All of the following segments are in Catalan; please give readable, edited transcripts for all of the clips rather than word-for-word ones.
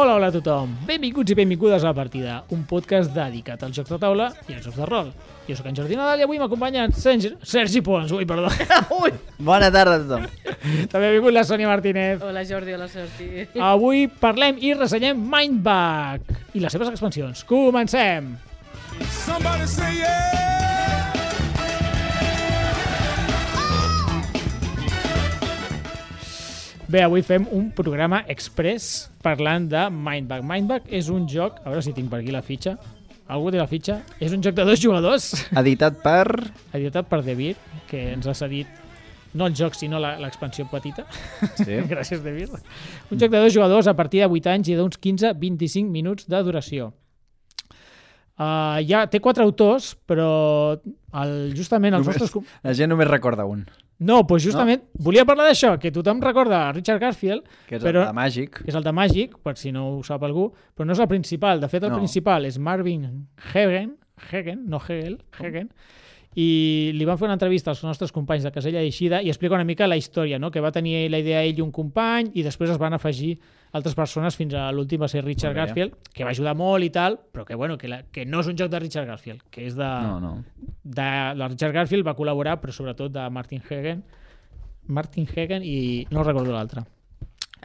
Hola a tothom, benvinguts i benvingudes a La Partida, un podcast dedicat als jocs de taula i als jocs de rol. Jo sóc en Jordi Nadal i avui m'acompanyen Sergi Pons, perdó. Ui, bona tarda a tothom. També ha vingut la Sònia Martínez. Hola Jordi, hola Sergi. Avui parlem i ressenyem Mindbug i les seves expansions. Comencem! Somebody say yeah! Bé, avui fem un programa express parlant de Mindbug. Mindbug és un joc, a veure si tinc per aquí la fitxa. Algú té la fitxa? És un joc de 2 jugadors. Editat per... Editat per David, que ens ha cedit no el joc, sinó l'expansió petita. Sí. Gràcies, David. Un joc de 2 jugadors a partir de 8 anys i d'uns 15-25 minuts de duració. Ja té 4 autors, però justament els nostres... La gent només recorda un. No, doncs justament volia parlar d'això, que tothom recorda Richard Garfield, Que és però, el de Màgic. que és el de Màgic, per si no ho sap algú, però no és el principal. De fet, el principal és Marvin Hagen, i li van fer una entrevista als nostres companys de Casella d'Eixida i explica una mica la història, no? Que va tenir la idea ell i un company i després es van afegir altres persones fins a l'últim va ser Richard Garfield, que va ajudar molt i tal, però que, bueno, que no és un joc de Richard Garfield, que és de... No. De Richard Garfield va col·laborar, però sobretot de Martin Hagen i no recordo l'altre.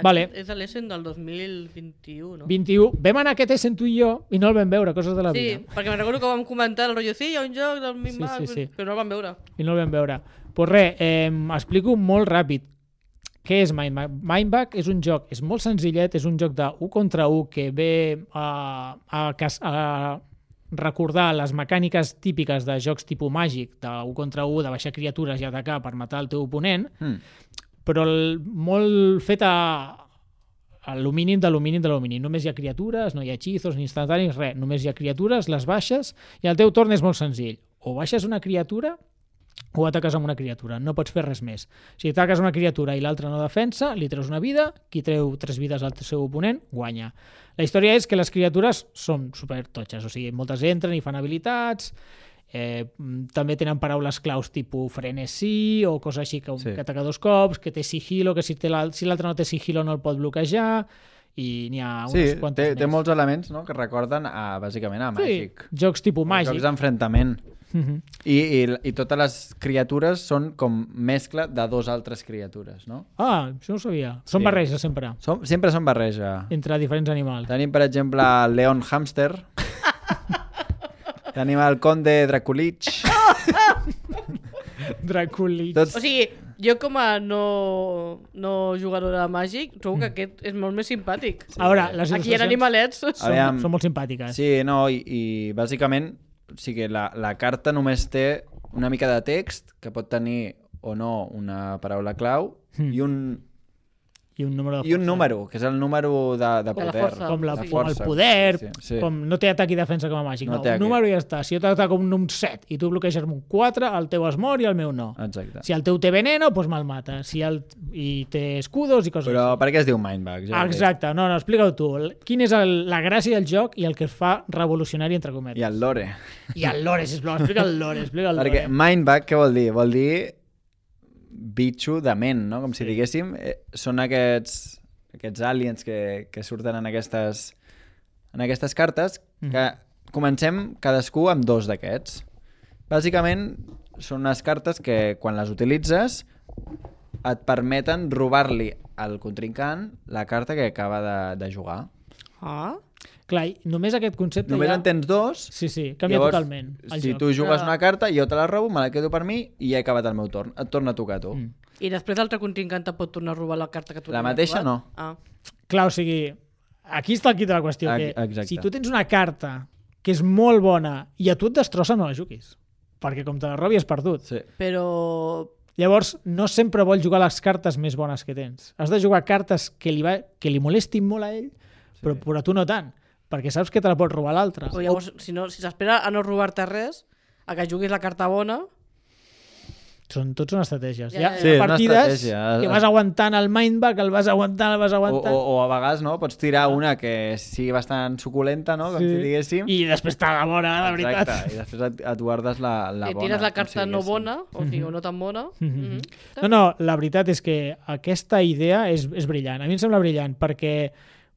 Vale. És l'Essen del 2021, no? 21. Vam anar a aquest Essen tu i jo i no el vam veure, coses de la vida. Sí, perquè me'n recordo que vam comentar el rotllo, sí, hi ha un joc del Mindbug, Sí. però no el vam veure. I no el vam veure. Pues res, explico molt ràpid. Què és Mindbug? Mindbug és un joc, és molt senzillet, és un joc de 1 contra 1 que ve a recordar les mecàniques típiques de jocs tipus màgic, de 1 contra 1, de baixar criatures i atacar per matar el teu oponent, però molt fet a l'alumini de l'alumini. Només hi ha criatures, no hi ha hechizos ni instantanis, res. Només hi ha criatures, les baixes, i el teu torn és molt senzill. O baixes una criatura o ataques amb una criatura, no pots fer res més. Si ataques una criatura i l'altra no defensa, li treus una vida, qui treu 3 vides al seu oponent, guanya. La història és que les criatures són supertotxes, o sigui, moltes entren i fan habilitats, també tenen paraules claus tipus frenesí o coses així que ataca 2 cops, que té sigilo, que si l'altre no té sigilo no el pot bloquejar, i n'hi ha unes quantes més. Té molts elements, no?, que recorden bàsicament a Màgic. Sí, jocs tipus Màgic. Jocs d'enfrontament. I totes les criatures són com mescla de 2 altres criatures, no? Ah, això no ho sabia. Són barreja, sempre. Sempre són barreja. Entre diferents animals. Tenim, per exemple, el Leon Hamster. Tenim el Conde Draculich. Draculich. O sigui, jo com a no jugadora de Màgic trobo que aquest és molt més simpàtic. A veure, les Aquí hi ha animalets. Són molt simpàtiques. Sí, no, i bàsicament, o sigui, la carta només té una mica de text, que pot tenir o no una paraula clau, i un número, que és el número de poder. la força. Com de força. el poder, Sí. com no té atac i defensa com a Màgic. No No, té un número i ja està. Si jo t'ataco amb un 7 i tu bloqueges amb un 4, el teu es mor i el meu no. Exacte. Si el teu té veneno, doncs me'l mata. I té escudos i coses Però així. per què es diu Mindbug? Exacte. No, explica-ho tu. Quina és la gràcia del joc i el que es fa revolucionari, entre cometes? I el lore. I el lore, sisplau. Explica el lore. Perquè Mindbug, què vol dir? Vol dir bitxo de ment, no? Com si diguéssim, són aquests aliens que surten en aquestes cartes, que comencem cadascú amb 2 d'aquests. Bàsicament, són unes cartes que, quan les utilitzes, et permeten robar-li al contrincant la carta que acaba de jugar. Ah? Clar, només aquest concepte Només ja... en tens 2. Sí, canvia totalment el si joc. tu jugues una carta, jo te la robo, me la quedo per mi i ja he acabat el meu torn. Et torna a tocar a tu. I després l'altre contrincant te pot tornar a robar la carta que tu La mateixa no. Clar, o sigui, aquí està el quid de la qüestió. Que Exacte. si tu tens una carta que és molt bona i a tu et destrossa, no la juguis. Perquè com te la robi has perdut. Sí. Però... Llavors, no sempre vols jugar les cartes més bones que tens. Has de jugar cartes que li molestin molt a ell, però a tu no tant, perquè saps que te la pot robar l'altre. O llavors, si s'espera a no robar-te res, a que juguis la carta bona... Tots són estratègies. Ja, Hi ha ja. Sí, una partides estratègia. que vas aguantant el Mindbug, el vas aguantant. O a vegades, no? Pots tirar una que sigui bastant suculenta, no? Com si diguéssim. I després t'ha de bona, de veritat. Exacte, i després et guardes la bona. I tires la com carta si no diguéssim. bona, o sigui, o no tan bona. No, la veritat és que aquesta idea és brillant. A mi em sembla brillant, perquè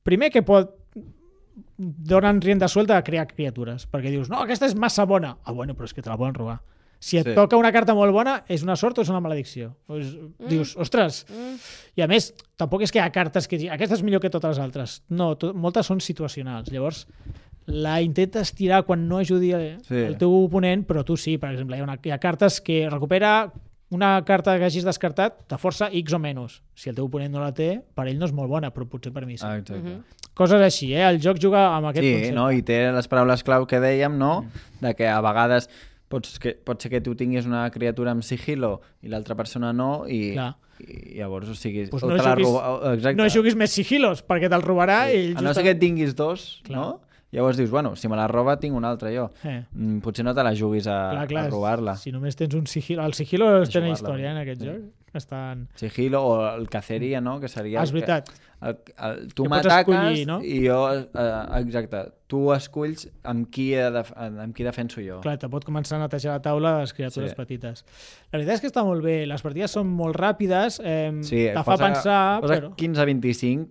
primer que donen rienda suelta a crear criatures, perquè dius, no, aquesta és massa bona. Ah, bueno, però és que te la poden robar. Si et toca una carta molt bona, és una sort o és una maledicció? Dius, ostres! I a més, tampoc és que hi ha cartes que aquesta és millor que totes les altres. No, moltes són situacionals. Llavors, la intentes tirar quan no ajudi el teu oponent, però tu sí, per exemple. Hi ha cartes que recupera una carta que hagis descartat, te força X o menys. Si el teu oponent no la té, per ell no és molt bona, però potser per mi sí. Exacte. Coses així, el joc juga amb aquest concepte. Sí, no? I té les paraules clau que dèiem, no? De que a vegades pot ser que tu tinguis una criatura amb sigilo i l'altra persona no, i llavors, o sigui... Pues no juguis més sigilos, perquè te'l robarà i... A no ser que tinguis dos, no? Llavors dius, bueno, si me la roba tinc una altra jo. Potser no te la juguis a robar-la. Si només tens un sigilo... El sigilo té una història en aquest joc. Sigilo o el caceria, no? Que seria... És veritat. Tu m'ataques i jo... Exacte. Tu esculls amb qui defenso jo. Clar, te pot començar a netejar la taula de les criatures petites. La veritat és que està molt bé. Les partides són molt ràpides, te fa pensar... Posa 15 a 25,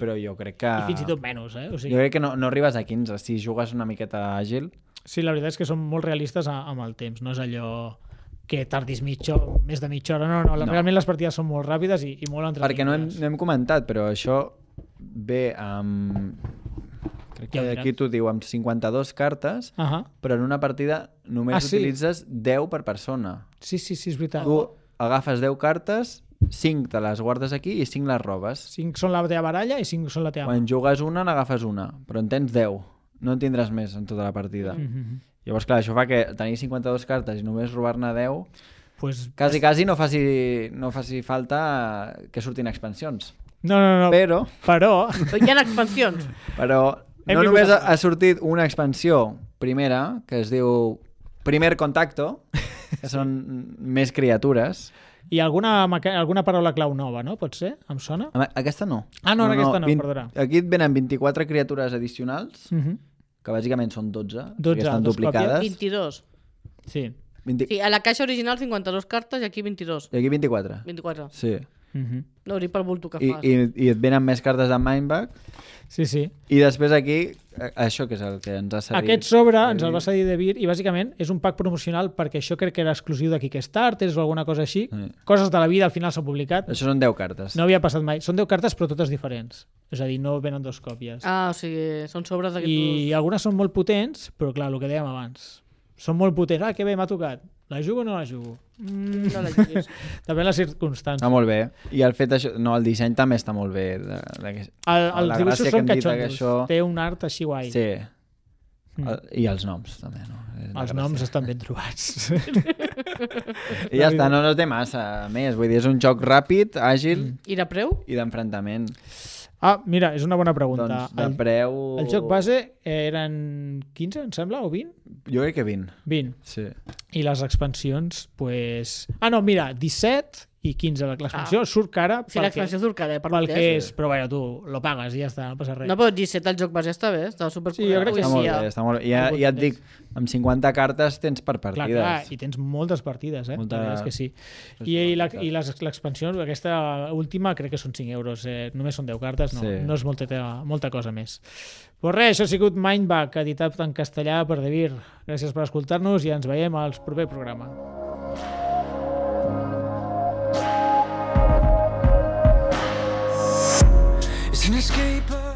però jo crec que... I fins i tot menys, O sigui... Jo crec que no arribes a 15, si jugues una miqueta àgil. Sí, la veritat és que són molt realistes amb el temps. No és allò que tardis més de mitja hora. No. Realment les partides són molt ràpides i molt entretenides. Perquè no hem comentat, però això ve amb... Crec que aquí t'ho diu, amb 52 cartes, però en una partida només utilitzes 10 per persona. Sí, és veritat. Tu agafes 10 cartes, 5 te les guardes aquí i 5 les robes. 5 són la teva baralla i 5 són la teva... Quan jugues una, n'agafes una, però en tens 10. No en tindràs més en tota la partida. Llavors, clar, això fa que tenir 52 cartes i només robar-ne 10, quasi no faci falta que surtin expansions. No. Però... Hi ha expansions. Però no només ha sortit una expansió primera, que es diu Primer Contacto, que són més criatures. I alguna paraula clau nova, no? Pot ser? Em sona? Aquesta no. Aquesta no, perdona. Aquí et venen 24 criatures addicionals, que bàsicament són 12, que estan duplicades. 22. Sí. Sí, a la caixa original 52 cartes i aquí 22. I aquí 24. 24. Sí. No hauria pel bulto que fas. I et venen més cartes de Mindbag. Sí. I després aquí, això que és el que ens ha cedit. Aquest sobre ens el va cedir de Vir i bàsicament és un pack promocional perquè això crec que era exclusiu de Kickstarter o alguna cosa així. Coses de la vida al final s'ha publicat. Això són 10 cartes. No havia passat mai. Són 10 cartes però totes diferents. És a dir, no venen dos còpies. O sigui, són sobres d'aquests... I algunes són molt potents, però clar, el que dèiem abans. Són molt potents. Que bé, m'ha tocat. La jugo o no la jugo? No la juguis. També les circumstàncies. Està molt bé. I el fet això... No, el disseny també està molt bé. Els dibuixos són catxondos. Té un art així guai. Sí. I els noms, també, no? Els noms estan ben trobats. I ja està, no té massa més. Vull dir, és un joc ràpid, àgil... I de preu? I d'enfrontament. Mira, és una bona pregunta. Doncs de preu... El joc base eren 15, em sembla, o 20? Jo crec que 20. 20. Sí. I les expansions, pues... no, mira, 17 i 15. L'expansió surt cara... Sí, l'expansió surt cara, pel que és. Però bueno, tu lo pagues i ja està, no passa res. No, però 17 el joc base està bé, està supercorrecte. Sí, jo crec que sí. Està molt bé. Ja et dic, amb 50 cartes tens per partides. Clar, i tens moltes partides, La veritat és que sí. I l'expansió, aquesta última, crec que són 5 euros. Només són 10 cartes, no és molta cosa més. Pues res, això ha sigut Mindbag, editat en castellà per De Vir. Gràcies per escoltar-nos i ens veiem al proper programa. It's an escape.